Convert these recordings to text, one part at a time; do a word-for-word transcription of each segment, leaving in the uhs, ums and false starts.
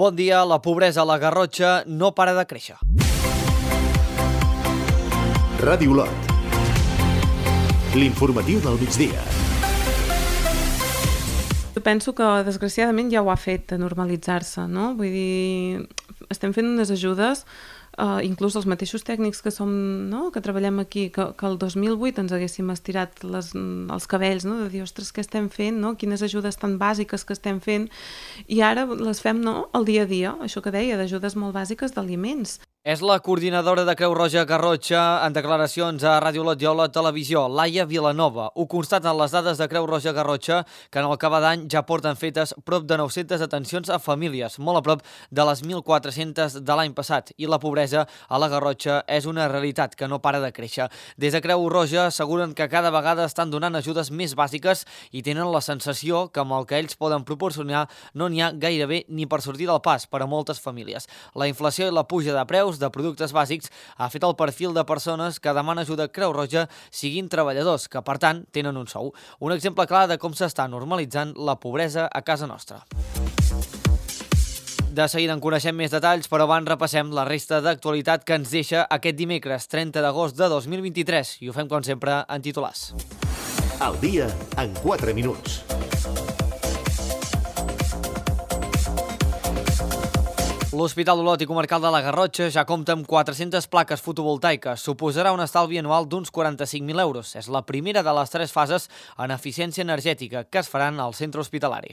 Bon dia, la pobresa a la Garrotxa no para de créixer. Ràdio Olot. L'informatiu del migdia. Penso que, desgraciadament, ja ho ha fet de normalitzar-se, no? Vull dir, estem fent unes ajudes, uh, inclús els mateixos tècnics que som, no?, que treballem aquí, que, que el dos mil vuit ens haguéssim estirat les, els cabells, no?, de dir, ostres, què estem fent, no?, quines ajudes tan bàsiques que estem fent, i ara les fem, no?, al dia a dia, això que deia, d'ajudes molt bàsiques d'aliments. És la coordinadora de Creu Roja Garrotxa en declaracions a Ràdio Olot i a Olot Televisió, Laia Vilanova. Ho constaten les dades de Creu Roja Garrotxa, que en el que va d'any ja porten fetes prop de nou-centes atencions a famílies, molt a prop de les mil quatre-centes de l'any passat. I la pobresa a la Garrotxa és una realitat que no para de créixer. Des de Creu Roja asseguren que cada vegada estan donant ajudes més bàsiques i tenen la sensació que amb el que ells poden proporcionar no n'hi ha gairebé ni per sortir del pas per a moltes famílies. La inflació i la puja de preus de productes bàsics ha fet el perfil de persones que demana ajuda a Creu Roja siguin treballadors, que per tant tenen un sou. Un exemple clar de com s'està normalitzant la pobresa a casa nostra. De seguida en coneixem més detalls, però abans repassem la resta d'actualitat que ens deixa aquest dimecres trenta d'agost de dos mil vint-i-tres i ho fem com sempre en titulars. Al dia en quatre minuts. L'Hospital d'Olot i Comarcal de la Garrotxa ja compta amb quatre-centes plaques fotovoltaiques. Suposarà un estalvi anual d'uns quaranta-cinc mil euros. És la primera de les tres fases en eficiència energètica que es faran al centre hospitalari.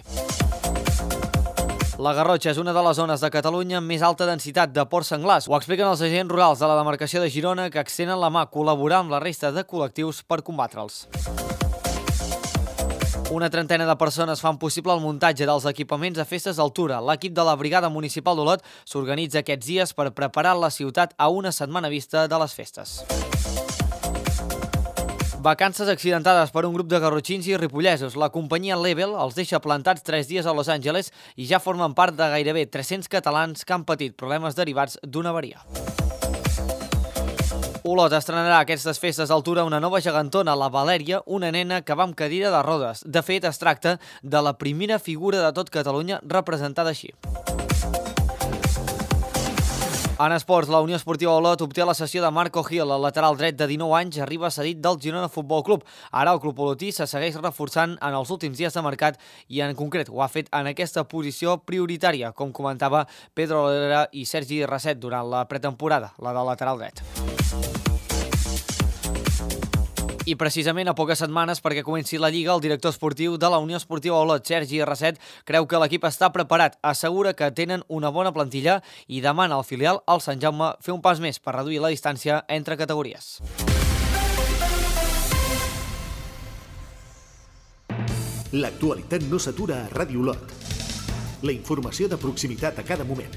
La Garrotxa és una de les zones de Catalunya amb més alta densitat de porcs senglars. Ho expliquen els agents rurals de la demarcació de Girona, que extenen la mà a col·laborar amb la resta de col·lectius per combatre'ls. Una trentena de persones fan possible el muntatge dels equipaments a festes d'altura. L'equip de la Brigada Municipal d'Olot s'organitza aquests dies per preparar la ciutat a una setmana vista de les festes. Vacances accidentades per un grup de garrotxins i ripollesos. La companyia Level els deixa plantats tres dies a Los Angeles i ja formen part de gairebé tres-cents catalans que han patit problemes derivats d'una avaria. Olot estrenarà aquestes festes d'altura una nova gegantona, la Valèria, una nena que va amb cadira de rodes. De fet, es tracta de la primera figura de tot Catalunya representada així. En esports, la Unió Esportiva Olot obté la cessió de Marco Gil, el lateral dret de dinou anys, arriba cedit del Girona Futbol Club. Ara el club olotí se segueix reforçant en els últims dies de mercat i en concret ho ha fet en aquesta posició prioritària, com comentava Pedro Olera i Sergi Rasset durant la pretemporada, la del lateral dret. I precisament a poques setmanes perquè comenci la Lliga, el director esportiu de la Unió Esportiva Olot, Sergi Rasset, creu que l'equip està preparat, assegura que tenen una bona plantilla i demana al filial, al Sant Jaume, fer un pas més per reduir la distància entre categories. L'actualitat no s'atura a Ràdio Olot. La informació de proximitat a cada moment.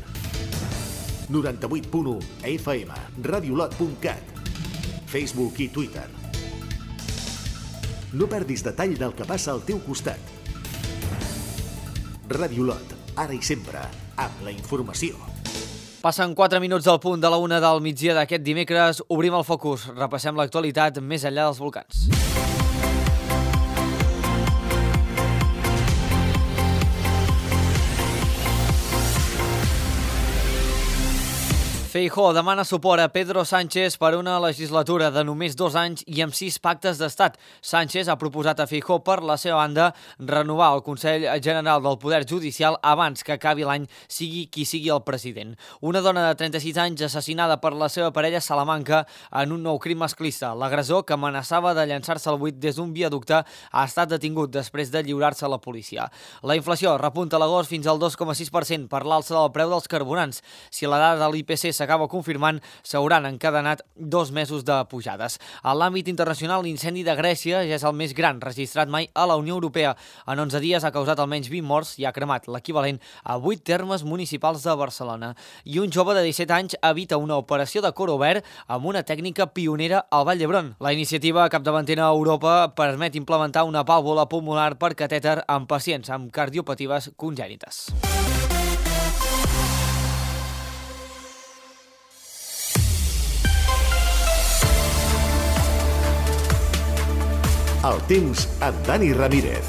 noranta-vuit punt u F M, radiolot punt cat, Facebook i Twitter. No perdis detall del que passa al teu costat. Ràdio Olot, ara i sempre, amb la informació. Passen quatre minuts del punt de la una del migdia d'aquest dimecres. Obrim el focus, repassem l'actualitat més enllà dels volcans. Feijóo demana suport a Pedro Sánchez per una legislatura de només dos anys i amb sis pactes d'estat. Sánchez ha proposat a Feijóo, per la seva banda, renovar el Consell General del Poder Judicial abans que acabi l'any, sigui qui sigui el president. Una dona de trenta-sis anys assassinada per la seva parella a Salamanca en un nou crim masclista. L'agressor, que amenaçava de llançar-se al buit des d'un viaducte, ha estat detingut després de lliurar-se a la policia. La inflació repunta a l'agost fins al dos coma sis per cent per l'alça del preu dels carburants. Si la dada de l'I P C s'acaba confirmant, s'hauran encadenat dos mesos de pujades. A l'àmbit internacional, l'incendi de Grècia ja és el més gran registrat mai a la Unió Europea. En onze dies ha causat almenys vint morts i ha cremat l'equivalent a vuit termes municipals de Barcelona. I un jove de disset anys evita una operació de cor obert amb una tècnica pionera al Vall d'Hebron. La iniciativa capdavantera a Europa permet implementar una vàlvula pulmonar per catèter en pacients amb cardiopatives congènites. El temps amb Dani Ramírez.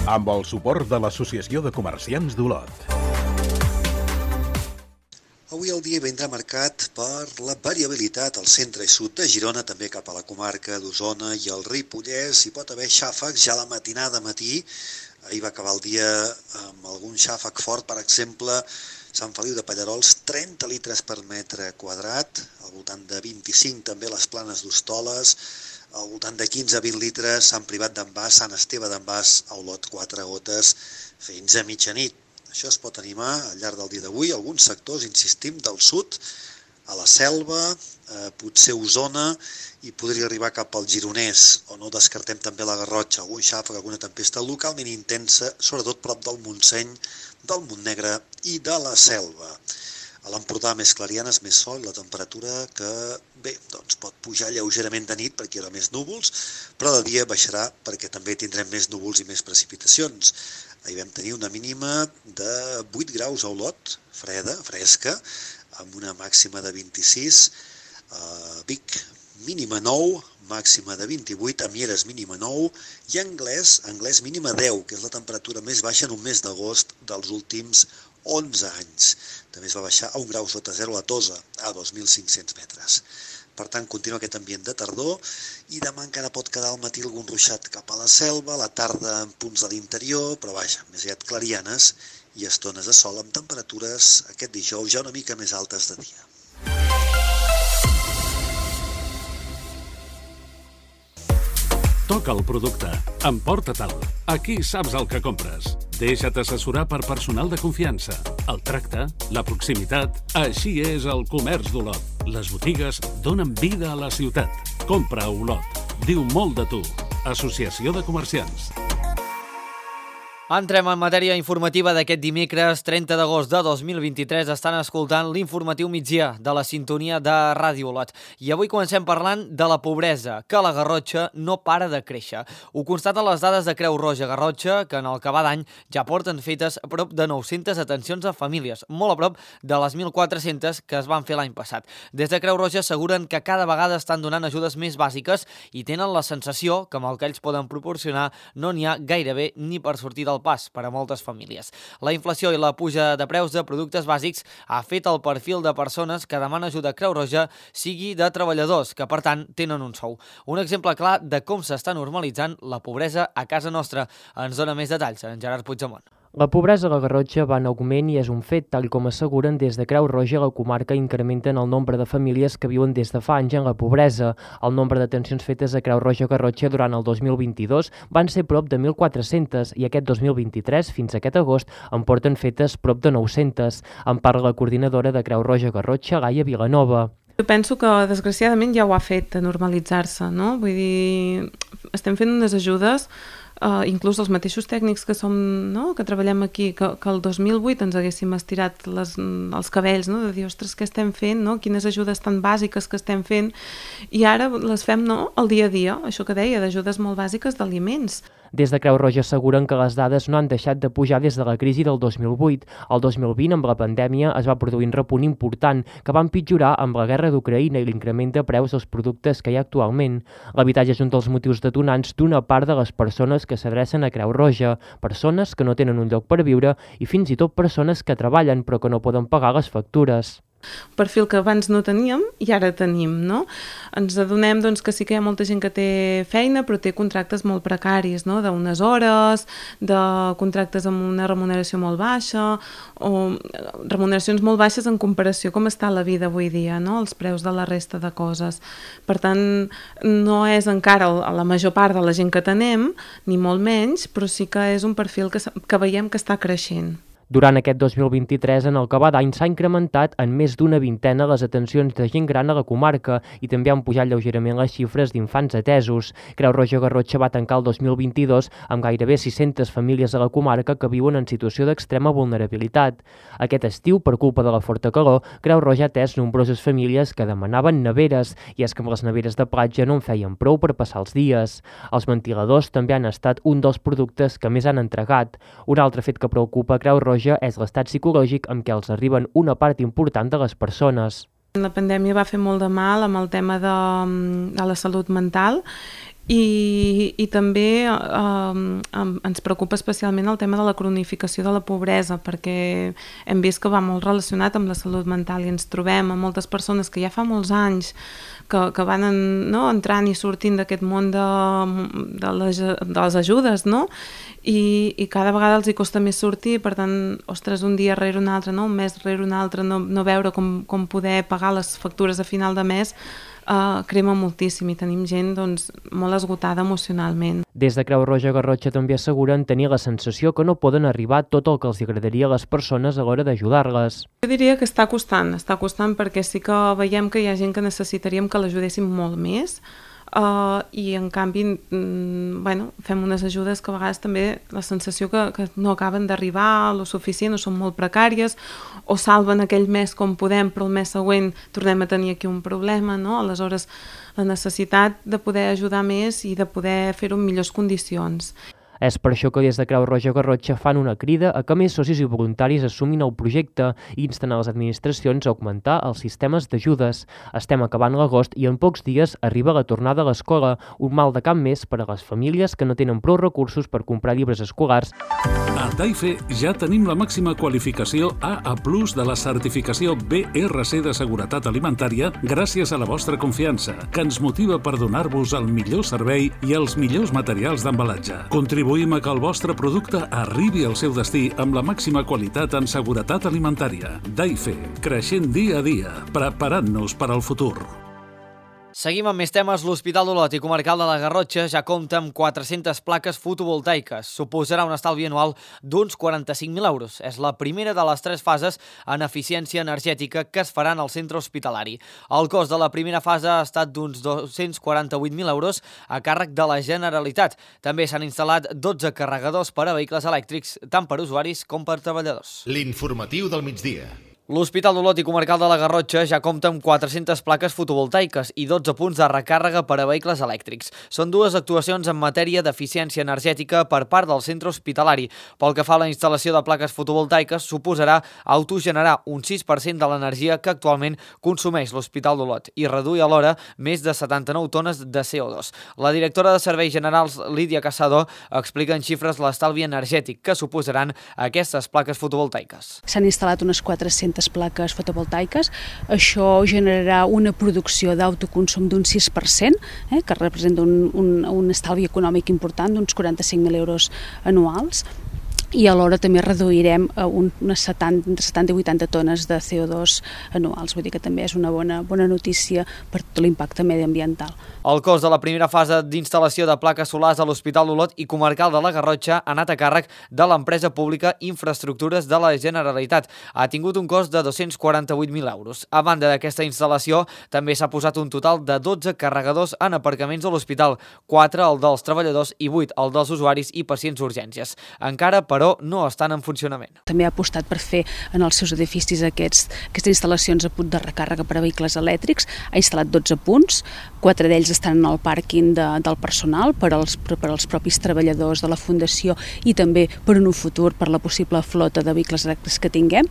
Amb el suport de l'Associació de Comerciants d'Olot. Avui el dia vindrà marcat per la variabilitat al centre i sud de Girona, també cap a la comarca d'Osona i el Ripollès. Hi pot haver xàfecs ja a la matinada matí. Ahir va acabar el dia amb algun xàfec fort, per exemple, Sant Feliu de Pallerols, trenta litres per metre quadrat, al voltant de vint-i-cinc també les Planes d'Hostoles, al voltant de quinze a vint litres Sant Privat d'en Bas, Sant Esteve d'en Bas, a Olot, quatre gotes fins a mitjanit. Això es pot animar al llarg del dia d'avui. Alguns sectors, insistim, del sud, a la Selva, eh, potser Osona, i podria arribar cap al Gironès, o no descartem també la Garrotxa, algun xàfec, alguna tempesta localment intensa, sobretot prop del Montseny, del Montnegre i de la Selva. A l'Empordà més clarianes, més sol, la temperatura que, bé, doncs pot pujar lleugerament de nit perquè hi haurà més núvols, però de dia baixarà perquè també tindrem més núvols i més precipitacions. Ahir vam tenir una mínima de vuit graus a Olot, freda, fresca, amb una màxima de vint-i-sis, a Vic mínima nou, màxima de vint-i-vuit, a Mieres mínima nou, i a Anglès, Anglès mínima deu, que és la temperatura més baixa en un mes d'agost dels últims onze anys. També es va baixar a un grau sota zero a Tosa, a dos mil cinc-cents metres. Per tant, continua aquest ambient de tardor i demà encara pot quedar al matí algun ruixat cap a la Selva, a la tarda en punts de l'interior, però vaja, més aviat clarianes i estones de sol amb temperatures aquest dijous ja una mica més altes de dia. Toca el producte, emporta-te'l. Aquí saps el que compres. Deixa't assessorar per personal de confiança. El tracte, la proximitat, així és el comerç d'Olot. Les botigues donen vida a la ciutat. Compra a Olot. Diu molt de tu. Associació de Comerciants. Entrem en matèria informativa d'aquest dimecres, trenta d'agost de dos mil vint-i-tres. Estan escoltant l'informatiu migdia de la sintonia de Ràdio Olot. I avui comencem parlant de la pobresa, que a la Garrotxa no para de créixer. Ho constaten les dades de Creu Roja Garrotxa, que en el que va d'any ja porten fetes a prop de nou-centes atencions a famílies, molt a prop de les mil quatre-centes que es van fer l'any passat. Des de Creu Roja asseguren que cada vegada estan donant ajudes més bàsiques i tenen la sensació que amb el que ells poden proporcionar no n'hi ha gairebé ni per sortir del pas per a moltes famílies. La inflació i la puja de preus de productes bàsics ha fet el perfil de persones que demanen ajuda a Creu Roja sigui de treballadors, que per tant tenen un sou. Un exemple clar de com s'està normalitzant la pobresa a casa nostra. Ens dona més detalls en Gerard Puigdemont. La pobresa a la Garrotxa va en augment i és un fet, tal com asseguren des de Creu Roja, la comarca incrementen el nombre de famílies que viuen des de fa anys en la pobresa. El nombre d'atencions fetes a Creu Roja Garrotxa durant el dos mil vint-i-dos van ser prop de mil quatre-centes i aquest dos mil vint-i-tres, fins a aquest agost, en porten fetes prop de nou-centes. En parla la coordinadora de Creu Roja Garrotxa, Laia Vilanova. Jo penso que, desgraciadament, ja ho ha fet de normalitzar-se, no? Vull dir, estem fent unes ajudes, uh, inclús els mateixos tècnics que som, no?, que treballem aquí, que, que el dos mil vuit ens haguéssim estirat les, els cabells, no?, de dir, ostres, què estem fent, no?, quines ajudes tan bàsiques que estem fent, i ara les fem, no?, al dia a dia, això que deia, d'ajudes molt bàsiques d'aliments. Des de Creu Roja asseguren que les dades no han deixat de pujar des de la crisi del dos mil vuit. El dos mil vint, amb la pandèmia, es va produir un repunt important que va empitjorar amb la guerra d'Ucraïna i l'increment de preus dels productes que hi ha actualment. L'habitatge és un dels motius detonants d'una part de les persones que s'adrecen a Creu Roja, persones que no tenen un lloc per viure i fins i tot persones que treballen però que no poden pagar les factures. Un perfil que abans no teníem i ara tenim, no? Ens adonem, doncs, que sí que hi ha molta gent que té feina però té contractes molt precaris, no?, d'unes hores, de contractes amb una remuneració molt baixa o remuneracions molt baixes en comparació com està la vida avui dia, no?, els preus de la resta de coses. Per tant, no és encara la major part de la gent que tenem, ni molt menys, però sí que és un perfil que, que veiem que està creixent. Durant aquest dos mil vint-i-tres, en el que va d'any, s'ha incrementat en més d'una vintena les atencions de gent gran a la comarca i també han pujat lleugerament les xifres d'infants atesos. Creu Roja Garrotxa va tancar el dos mil vint-i-dos amb gairebé sis-centes famílies a la comarca que viuen en situació d'extrema vulnerabilitat. Aquest estiu, per culpa de la forta calor, Creu Roja ha atès nombroses famílies que demanaven neveres, i és que amb les neveres de platja no en feien prou per passar els dies. Els ventiladors també han estat un dels productes que més han entregat. Un altre fet que preocupa Creu Roja és l'estat psicològic amb què els arriben una part important de les persones. La pandèmia va fer molt de mal amb el tema de, de la salut mental I, i també eh, ens preocupa especialment el tema de la cronificació de la pobresa, perquè hem vist que va molt relacionat amb la salut mental i ens trobem amb moltes persones que ja fa molts anys que, que van en, no, entrant i sortint d'aquest món de, de, les, de les ajudes, no? I, i cada vegada els hi costa més sortir, per tant, ostres, un dia rere un altre, no? Un mes rere un altre, no, no veure com, com poder pagar les factures a final de mes, Uh, crema moltíssim i tenim gent doncs, molt esgotada emocionalment. Des de Creu Roja Garrotxa també asseguren tenir la sensació que no poden arribar tot el que els agradaria a les persones a l'hora d'ajudar-les. Jo diria que està costant, està costant perquè sí que veiem que hi ha gent que necessitaríem que l'ajudéssim molt més, Uh, i en canvi mm, bueno, fem unes ajudes que a vegades també la sensació que, que no acaben d'arribar lo suficient o són molt precàries o salven aquell mes com podem però el mes següent tornem a tenir aquí un problema, no? Aleshores la necessitat de poder ajudar més i de poder fer-ho en millors condicions. És per això que des de Creu Roja Garrotxa fan una crida a que més socis i voluntaris assumin el projecte i insten a les administracions a augmentar els sistemes d'ajudes. Estem acabant l'agost i en pocs dies arriba la tornada a l'escola, un mal de cap més per a les famílies que no tenen prou recursos per comprar llibres escolars. A Taife ja tenim la màxima qualificació A A plus de la certificació B R C de seguretat alimentària gràcies a la vostra confiança, que ens motiva per donar-vos el millor servei i els millors materials d'embalatge. Contribuïm a que el vostre producte arribi al seu destí amb la màxima qualitat en seguretat alimentària. Taife, creixent dia a dia, preparant-nos per al futur. Seguim amb més temes. L'Hospital d'Olot i Comarcal de la Garrotxa ja compta amb quatre-centes plaques fotovoltaiques. Suposarà un estalvi anual d'uns quaranta-cinc mil euros. És la primera de les tres fases en eficiència energètica que es faran al centre hospitalari. El cost de la primera fase ha estat d'uns dos-cents quaranta-vuit mil euros a càrrec de la Generalitat. També s'han instal·lat dotze carregadors per a vehicles elèctrics, tant per usuaris com per treballadors. L'informatiu del migdia. L'Hospital d'Olot i Comarcal de la Garrotxa ja compta amb quatre-centes plaques fotovoltaiques i dotze punts de recàrrega per a vehicles elèctrics. Són dues actuacions en matèria d'eficiència energètica per part del centre hospitalari. Pel que fa a la instal·lació de plaques fotovoltaiques, suposarà autogenerar un sis per cent de l'energia que actualment consumeix l'Hospital d'Olot i reduir alhora més de setanta-nou tones de C O dos. La directora de Serveis Generals, Lídia Casado, explica en xifres l'estalvi energètic que suposaran aquestes plaques fotovoltaiques. S'han instal·lat unes quatre-centes plaques fotovoltaiques. Això generarà una producció d'autoconsum d'un sis per cent, eh, que representa un, un, un estalvi econòmic important d'uns quaranta-cinc mil euros anuals. I alhora també reduirem unes setanta, setanta i vuitanta tones de C O dos anuals. Vull dir que també és una bona, bona notícia per tot l'impacte mediambiental. El cost de la primera fase d'instal·lació de plaques solars a l'Hospital d'Olot i Comarcal de la Garrotxa ha anat a càrrec de l'empresa pública Infraestructures de la Generalitat. Ha tingut un cost de dos-cents quaranta-vuit mil euros. A banda d'aquesta instal·lació, també s'ha posat un total de dotze carregadors en aparcaments de l'hospital, quatre el dels treballadors i vuit el dels usuaris i pacients d'urgències. Encara, però, però no estan en funcionament. També ha apostat per fer en els seus edificis aquests, aquestes instal·lacions a punt de recàrrega per a vehicles elèctrics. Ha instal·lat dotze punts, quatre d'ells estan en el pàrquing de, del personal per als, per als propis treballadors de la Fundació i també per en un futur per la possible flota de vehicles elèctrics que tinguem.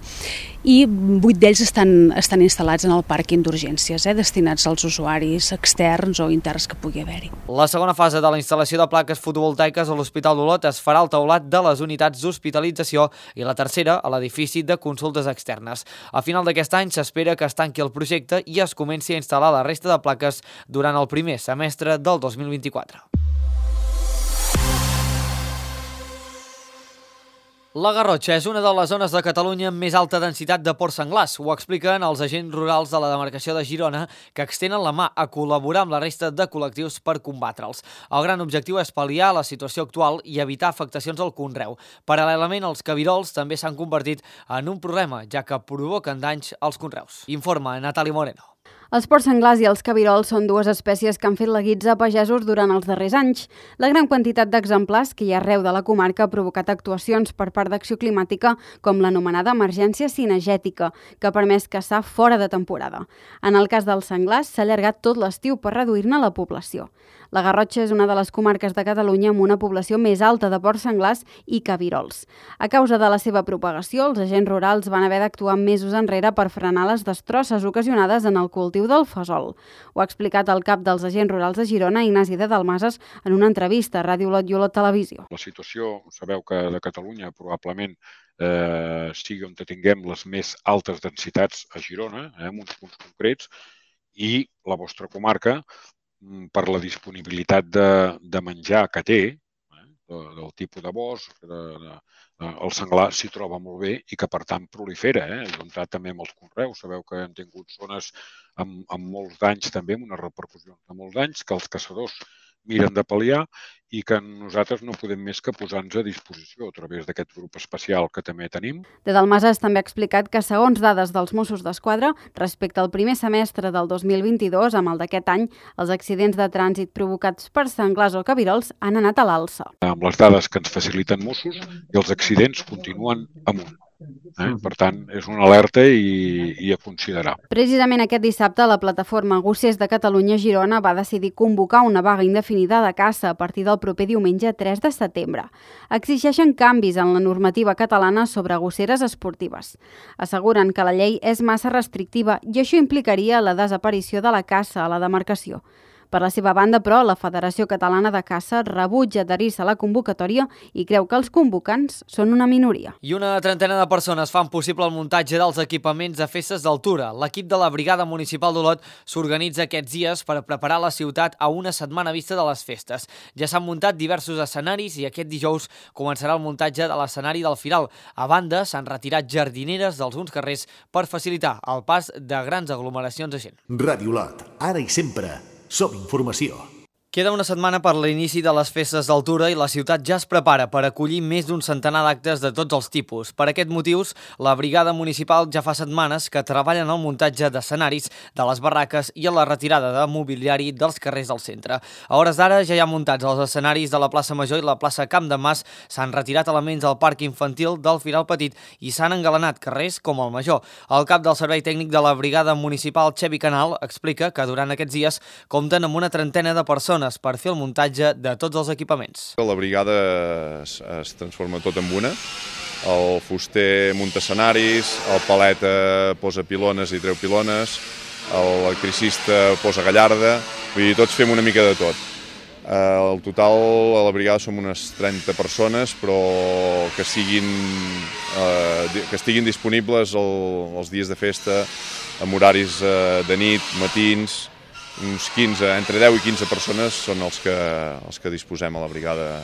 I vuit d'ells estan, estan instal·lats en el pàrquing d'urgències, eh, destinats als usuaris externs o interns que pugui haver-hi. La segona fase de la instal·lació de plaques fotovoltaiques a l'Hospital d'Olot es farà al teulat de les unitats d'hospitalització i la tercera a l'edifici de consultes externes. A final d'aquest any s'espera que es tanqui el projecte i es comenci a instal·lar la resta de plaques durant el primer semestre del dos mil vint-i-quatre. La Garrotxa és una de les zones de Catalunya amb més alta densitat de porcs senglars. Ho expliquen els agents rurals de la demarcació de Girona, que extenen la mà a col·laborar amb la resta de col·lectius per combatre'ls. El gran objectiu és pal·liar la situació actual i evitar afectacions al conreu. Paral·lelament, els cabirols també s'han convertit en un problema, ja que provoquen danys als conreus. Informa Natàlia Moreno. Els porcs senglars i els cabirols són dues espècies que han fet la guitza a pagesos durant els darrers anys. La gran quantitat d'exemplars que hi ha arreu de la comarca ha provocat actuacions per part d'Acció Climàtica com l'anomenada emergència cinegètica, que ha permès caçar fora de temporada. En el cas dels senglars, s'ha allargat tot l'estiu per reduir-ne la població. La Garrotxa és una de les comarques de Catalunya amb una població més alta de porcs senglars i cabirols. A causa de la seva propagació, els agents rurals van haver d'actuar mesos enrere per frenar les destrosses ocasionades en el cultiu cultiu del fesol. Ho ha explicat el cap dels agents rurals de Girona, Ignasi de Dalmases, en una entrevista a Ràdio Olot i Olot Televisió. La situació, sabeu que de Catalunya probablement eh, sigui on tinguem les més altes densitats a Girona, eh, en uns punts concrets, i la vostra comarca, per la disponibilitat de, de menjar que té, eh, del tipus de bosc, de, de, el senglar s'hi troba molt bé i que, per tant, prolifera. Eh? He comptat també amb els conreus. Sabeu que hem tingut zones amb, amb molts danys també, amb una repercussió de molts danys, que els caçadors miren de pal·liar i que nosaltres no podem més que posar-nos a disposició a través d'aquest grup especial que també tenim. De Dalmases també ha explicat que, segons dades dels Mossos d'Esquadra, respecte al primer semestre del dos mil vint-i-dos, amb el d'aquest any, els accidents de trànsit provocats per senglars o cabirols han anat a l'alça. Amb les dades que ens faciliten Mossos, i els accidents continuen amunt. Eh? Per tant, és una alerta i, i a considerar. Precisament aquest dissabte, la plataforma Gossers de Catalunya Girona va decidir convocar una vaga indefinida de caça a partir del proper diumenge tres de setembre. Exigeixen canvis en la normativa catalana sobre gosseres esportives. Asseguren que la llei és massa restrictiva i això implicaria la desaparició de la caça a la demarcació. Per la seva banda, però, la Federació Catalana de Caça rebutja adherir-se a la convocatòria i creu que els convocants són una minoria. I una trentena de persones fan possible el muntatge dels equipaments de festes d'altura. L'equip de la Brigada Municipal d'Olot s'organitza aquests dies per preparar la ciutat a una setmana vista de les festes. Ja s'han muntat diversos escenaris i aquest dijous començarà el muntatge de l'escenari del Firal. A banda, s'han retirat jardineres d'alguns carrers per facilitar el pas de grans aglomeracions de gent. Ràdio Olot, ara i sempre. Som informació. Queda una setmana per l'inici de les festes d'altura i la ciutat ja es prepara per acollir més d'un centenar d'actes de tots els tipus. Per aquest motius, la Brigada Municipal ja fa setmanes que treballa en el muntatge d'escenaris de les barraques i en la retirada de mobiliari dels carrers del centre. A hores d'ara ja hi ha muntats els escenaris de la plaça Major i la plaça Camp de Mas, s'han retirat elements del parc infantil del Firal Petit i s'han engalanat carrers com el Major. El cap del Servei Tècnic de la Brigada Municipal, Xevi Canal, explica que durant aquests dies compten amb una trentena de persones per fer el muntatge de tots els equipaments. La brigada es, es transforma tot en una. El fuster munta escenaris, el paleta posa pilones i treu pilones, l'electricista posa gallarda, vull dir, tots fem una mica de tot. Al total a la brigada som unes trenta persones, però que siguin eh, que estiguin disponibles el, els dies de festa amb horaris eh, de nit, matins. Uns quinze, entre deu i quinze persones són els que, els que disposem a la brigada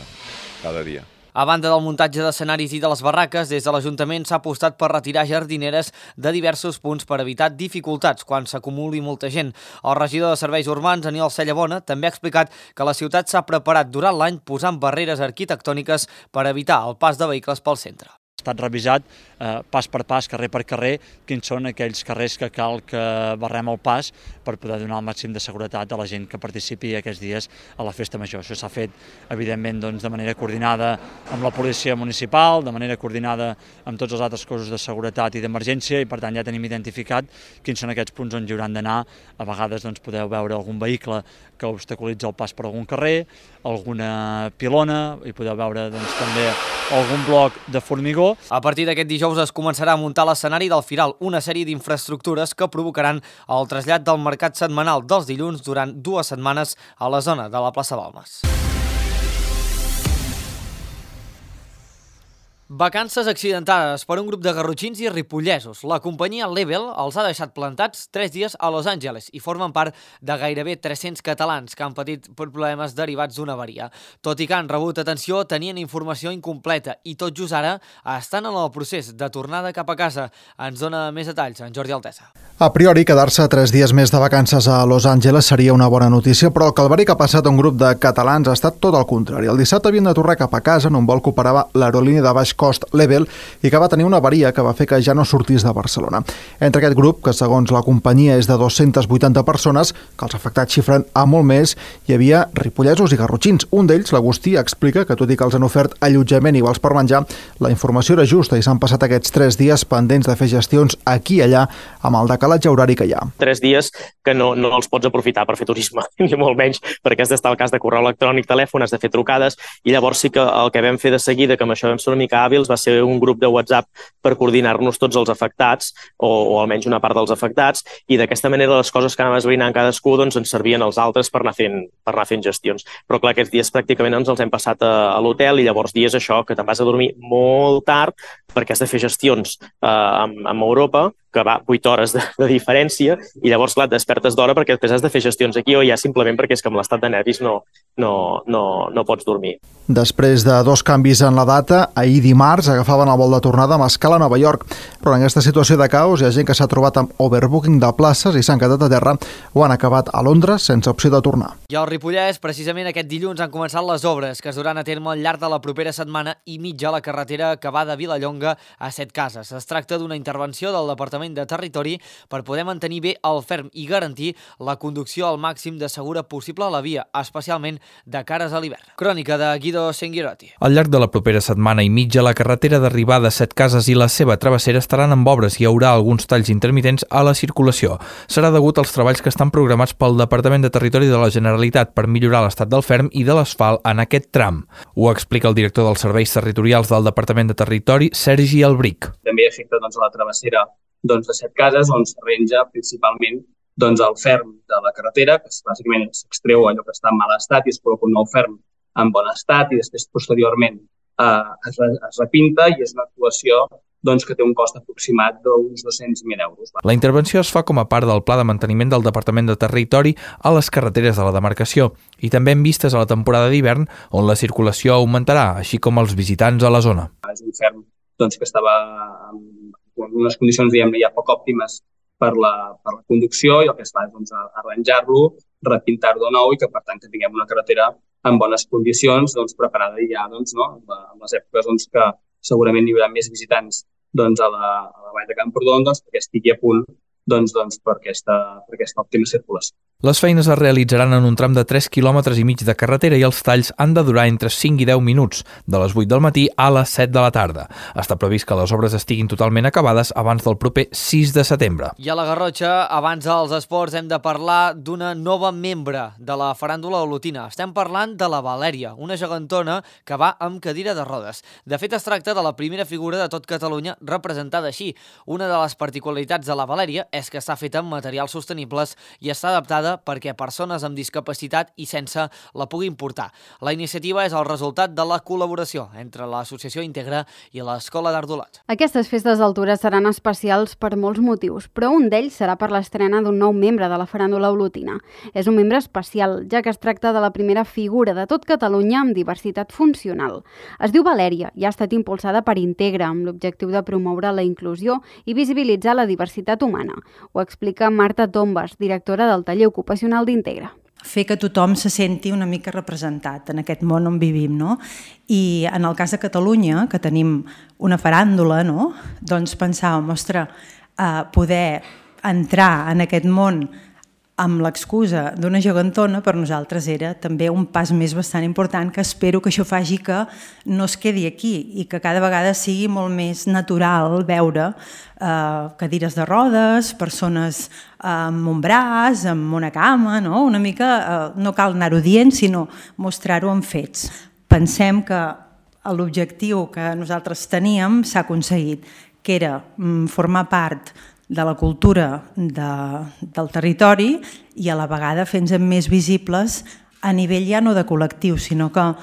cada dia. A banda del muntatge d'escenaris i de les barraques, des de l'Ajuntament s'ha apostat per retirar jardineres de diversos punts per evitar dificultats quan s'acumuli molta gent. El regidor de Serveis Urbans, Aniol Cellabona, també ha explicat que la ciutat s'ha preparat durant l'any posant barreres arquitectòniques per evitar el pas de vehicles pel centre. Ha estat revisat eh, pas per pas, carrer per carrer, quins són aquells carrers que cal que barrem el pas per poder donar el màxim de seguretat a la gent que participi aquests dies a la festa major. Això s'ha fet, evidentment, doncs, de manera coordinada amb la policia municipal, de manera coordinada amb tots els altres cossos de seguretat i d'emergència, i per tant ja tenim identificat quins són aquests punts on hi hauran d'anar. A vegades doncs, podeu veure algun vehicle que obstaculitza el pas per algun carrer, alguna pilona, i podeu veure doncs, també algun bloc de formigó. A partir d'aquest dijous es començarà a muntar l'escenari del Firal, una sèrie d'infraestructures que provocaran el trasllat del mercat setmanal dels dilluns durant dues setmanes a la zona de la plaça Balmes. Vacances accidentades per un grup de garrotxins i ripollesos. La companyia Level els ha deixat plantats tres dies a Los Angeles i formen part de gairebé tres-cents catalans que han patit problemes derivats d'una avaria. Tot i que han rebut atenció, tenien informació incompleta i tot just ara estan en el procés de tornada cap a casa. Ens dona més detalls en Jordi Altesa. A priori, quedar-se tres dies més de vacances a Los Angeles seria una bona notícia, però el calvari que ha passat a un grup de catalans ha estat tot el contrari. El dissabte havien de tornar cap a casa en un vol que operava l'aerolínia de baix cost Level i que va tenir una avaria que va fer que ja no sortís de Barcelona. Entre aquest grup, que segons la companyia és de dues-centes vuitanta persones, que els afectats xifren a molt més, hi havia ripollesos i garrotxins. Un d'ells, l'Agustí, explica que tot i que els han ofert allotjament i vals per menjar, la informació era justa i s'han passat aquests tres dies pendents de fer gestions aquí i allà amb el decalatge horari que hi ha. Tres dies que no, no els pots aprofitar per fer turisme, ni molt menys, perquè has d'estar al cas de correu electrònic, telèfon, has de fer trucades, i llavors sí que el que vam fer de seguida, que amb això vam ser una mica hàbils va ser un grup de WhatsApp per coordinar-nos tots els afectats, o, o almenys una part dels afectats, i d'aquesta manera les coses que anàvem esbrinant cadascú doncs, ens servien als altres per anar fent, per anar fent gestions. Però clar, aquests dies pràcticament ens els hem passat a, a l'hotel i llavors dies això, que te'n vas a dormir molt tard perquè has de fer gestions eh, amb, amb Europa, que va vuit hores de, de diferència, i llavors, clar, et despertes d'hora perquè després has de fer gestions aquí o ja simplement perquè és que amb l'estat de nervis no, no, no, no pots dormir. Després de dos canvis en la data, ahir dimarts agafaven el vol de tornada amb escala a Nova York, però en aquesta situació de caos hi ha gent que s'ha trobat amb overbooking de places i s'han quedat a terra o han acabat a Londres sense opció de tornar. I al Ripollès, precisament aquest dilluns han començat les obres que es duran a terme al llarg de la propera setmana i mitja a la carretera que va de Vilallonga a Setcases. Es tracta d'una intervenció del Departament de Territori per poder mantenir bé el ferm i garantir la conducció al màxim de segura possible a la via, especialment de cares a l'hivern. Crònica de Guido Senghiroti. Al llarg de la propera setmana i mitja, la carretera d'arribada a Setcases i la seva travessera estaran amb obres i hi haurà alguns talls intermitents a la circulació. Serà degut als treballs que estan programats pel Departament de Territori de la Generalitat per millorar l'estat del ferm i de l'asfalt en aquest tram. Ho explica el director dels Serveis Territorials del Departament de Territori, Sergi Albric. També afecta doncs, a la travessera doncs, de Setcases, on s'arrenja principalment doncs, el ferm de la carretera, que bàsicament s'extreu allò que està en mal estat i es col·loca un nou ferm en bon estat i després posteriorment eh, es, es repinta i és una actuació doncs, que té un cost aproximat d'uns dos-cents mil euros. La intervenció es fa com a part del Pla de Manteniment del Departament de Territori a les carreteres de la demarcació i també en vistes a la temporada d'hivern on la circulació augmentarà, així com els visitants a la zona. És un ferm doncs, que estava en unes condicions diguem, ja poc òptimes per la, per la conducció i el que es fa és doncs, arranjar-lo, repintar-lo de nou i que per tant que tinguem una carretera en bones condicions, doncs, preparada ja doncs, no? en les èpoques doncs, que segurament hi haurà més visitants doncs, a, la, a la vall de Camprodon doncs, perquè estigui a punt doncs, doncs, per, aquesta, per aquesta òptima circulació. Les feines es realitzaran en un tram de tres quilòmetres i mig de carretera i els talls han de durar entre cinc i deu minuts, de les vuit del matí a les set de la tarda. Està previst que les obres estiguin totalment acabades abans del proper sis de setembre. I a la Garrotxa, abans dels esports, hem de parlar d'una nova membre de la faràndula olotina. Estem parlant de la Valèria, una gegantona que va amb cadira de rodes. De fet, es tracta de la primera figura de tot Catalunya representada així. Una de les particularitats de la Valèria és que està feta amb materials sostenibles i està adaptada perquè persones amb discapacitat i sense la puguin portar. La iniciativa és el resultat de la col·laboració entre l'Associació Integra i l'Escola d'Art d'Olot. Aquestes festes d'altura seran especials per molts motius, però un d'ells serà per l'estrena d'un nou membre de la faràndula olotina. És un membre especial, ja que es tracta de la primera figura de tot Catalunya amb diversitat funcional. Es diu Valèria i ha estat impulsada per Integra amb l'objectiu de promoure la inclusió i visibilitzar la diversitat humana. Ho explica Marta Tombas, directora del taller ocupacional d'Integra. Fer que tothom se senti una mica representat en aquest món on vivim, no? I en el cas de Catalunya, que tenim una faràndula, no? Doncs pensàvem, ostres, eh, poder entrar en aquest món amb l'excusa d'una gegantona per nosaltres era també un pas més bastant important que espero que això faci que no es quedi aquí i que cada vegada sigui molt més natural veure eh, cadires de rodes, persones amb un braç, amb una cama, no? Una mica, eh, no cal anar-ho dient, sinó mostrar-ho en fets. Pensem que l'objectiu que nosaltres teníem s'ha aconseguit, que era mm, formar part de la cultura de, del territori i a la vegada fent-nos més visibles a nivell ja no de col·lectiu, sinó que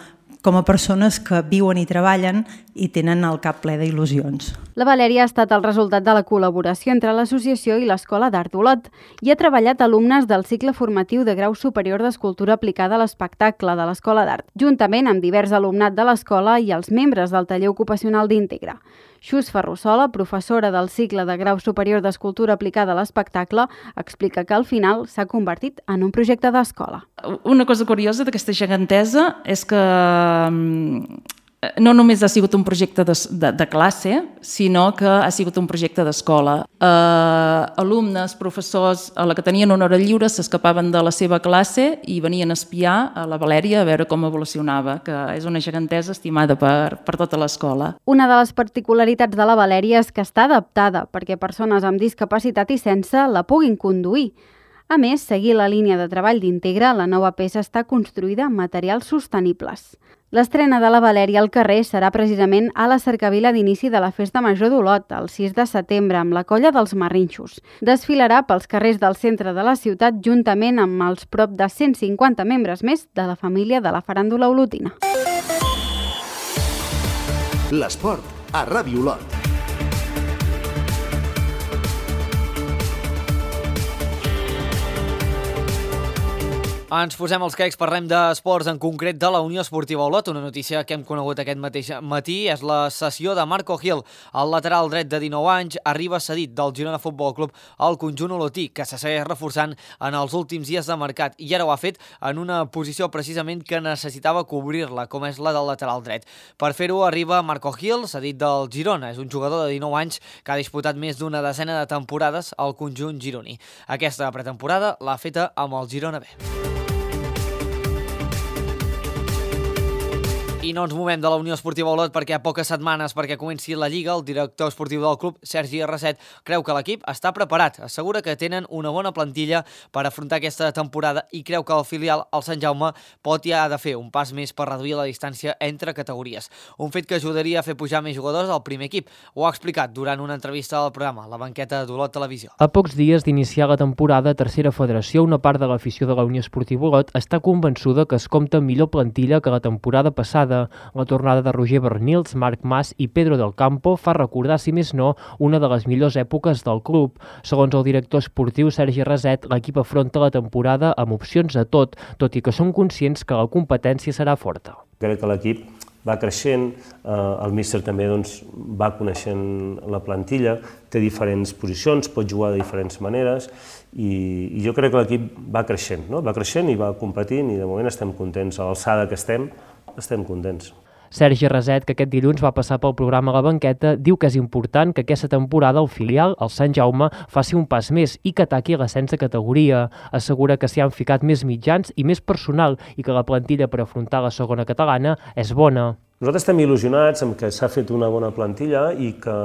com a persones que viuen i treballen i tenen el cap ple d'il·lusions. La Valèria ha estat el resultat de la col·laboració entre l'associació i l'Escola d'Art d'Olot i ha treballat alumnes del cicle formatiu de grau superior d'escultura aplicada a l'espectacle de l'Escola d'Art, juntament amb divers alumnat de l'escola i els membres del taller ocupacional d'Integra. Xus Ferrusola, professora del cicle de grau superior d'escultura aplicada a l'espectacle, explica que al final s'ha convertit en un projecte d'escola. Una cosa curiosa d'aquesta gegantesa és que no només ha sigut un projecte de, de, de classe, sinó que ha sigut un projecte d'escola. Eh, alumnes, professors, a la que tenien una hora lliure s'escapaven de la seva classe i venien a espiar a la Valèria a veure com evolucionava, que és una gegantesa estimada per, per tota l'escola. Una de les particularitats de la Valèria és que està adaptada perquè persones amb discapacitat i sense la puguin conduir. A més, seguir la línia de treball d'Integra, la nova peça està construïda amb materials sostenibles. L'estrena de la Valèria al carrer serà precisament a la cercavila d'inici de la Festa Major d'Olot, el sis de setembre, amb la colla dels Marrinxos. Desfilarà pels carrers del centre de la ciutat juntament amb els prop de cent cinquanta membres més de la família de la faràndula olotina. L'esport a Ràdio Olot. Ens posem els quecs, parlem d'esports, en concret de la Unió Esportiva Olot. Una notícia que hem conegut aquest mateix matí és la cessió de Marco Gil. El lateral dret de dinou anys arriba cedit del Girona Futbol Club al conjunt olotí, que se segueix reforçant en els últims dies de mercat, i ara ho ha fet en una posició precisament que necessitava cobrir-la, com és la del lateral dret. Per fer-ho arriba Marco Gil, cedit del Girona. És un jugador de dinou anys que ha disputat més d'una desena de temporades al conjunt gironí. Aquesta pretemporada l'ha feta amb el Girona B. I no ens movem de la Unió Esportiva Olot perquè a poques setmanes perquè comenci la Lliga, el director esportiu del club, Sergi Arrasset, creu que l'equip està preparat. Assegura que tenen una bona plantilla per afrontar aquesta temporada i creu que el filial, el Sant Jaume, pot i ha de fer un pas més per reduir la distància entre categories. Un fet que ajudaria a fer pujar més jugadors al primer equip. Ho ha explicat durant una entrevista al programa La Banqueta d'Olot Televisió. A pocs dies d'iniciar la temporada a Tercera Federació, una part de l'afició de la Unió Esportiva Olot està convençuda que es compta amb millor plantilla que la temporada passada. La tornada de Roger Bernils, Marc Mas i Pedro del Campo fa recordar, si més no, una de les millors èpoques del club. Segons el director esportiu Sergi Arrasset, l'equip afronta la temporada amb opcions a tot, tot i que són conscients que la competència serà forta. Crec que l'equip va creixent, eh, el míster també doncs, va coneixent la plantilla, té diferents posicions, pot jugar de diferents maneres i, i jo crec que l'equip va creixent, no? va creixent i va competint i de moment estem contents. A l'alçada que estem, estem contents. Sergi Arrasset, que aquest dilluns va passar pel programa La Banqueta, diu que és important que aquesta temporada el filial, el Sant Jaume, faci un pas més i que ataqui l'ascens de categoria. Assegura que s'hi han ficat més mitjans i més personal i que la plantilla per afrontar la segona catalana és bona. Nosaltres estem il·lusionats amb que s'ha fet una bona plantilla i que,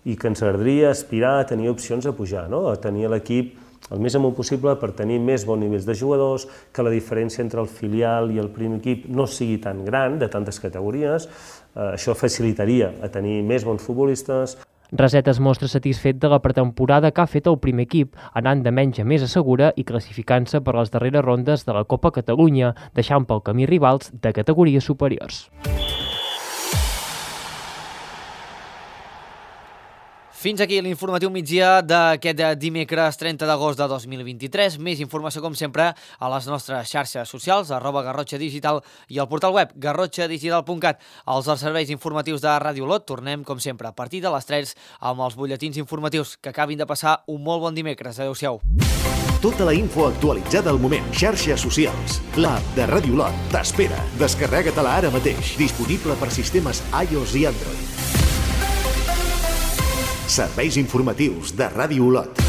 i que ens agradaria aspirar a tenir opcions a pujar, no? A tenir l'equip el més amunt possible per tenir més bons nivells de jugadors, que la diferència entre el filial i el primer equip no sigui tan gran, de tantes categories. Eh, això facilitaria a tenir més bons futbolistes. Arrasset es mostra satisfet de la pretemporada que ha fet el primer equip, anant de menys a més a segura i classificant-se per les darreres rondes de la Copa Catalunya, deixant pel camí rivals de categories superiors. Fins aquí l'informatiu migdia d'aquest dimecres trenta d'agost de dos mil vint-i-tres. Més informació, com sempre, a les nostres xarxes socials, arroba Garrotxa Digital i al portal web garrotxa digital punt cat. Els serveis informatius de Ràdio Olot tornem, com sempre, a partir de les tres amb els butlletins informatius. Que acabin de passar un molt bon dimecres. Adéu-siau. Tota la info actualitzada al moment. Xarxes socials. L'app de Ràdio Olot t'espera. Descarrega-te-la ara mateix. Disponible per sistemes iOS i Android. Serveis informatius de Ràdio Olot.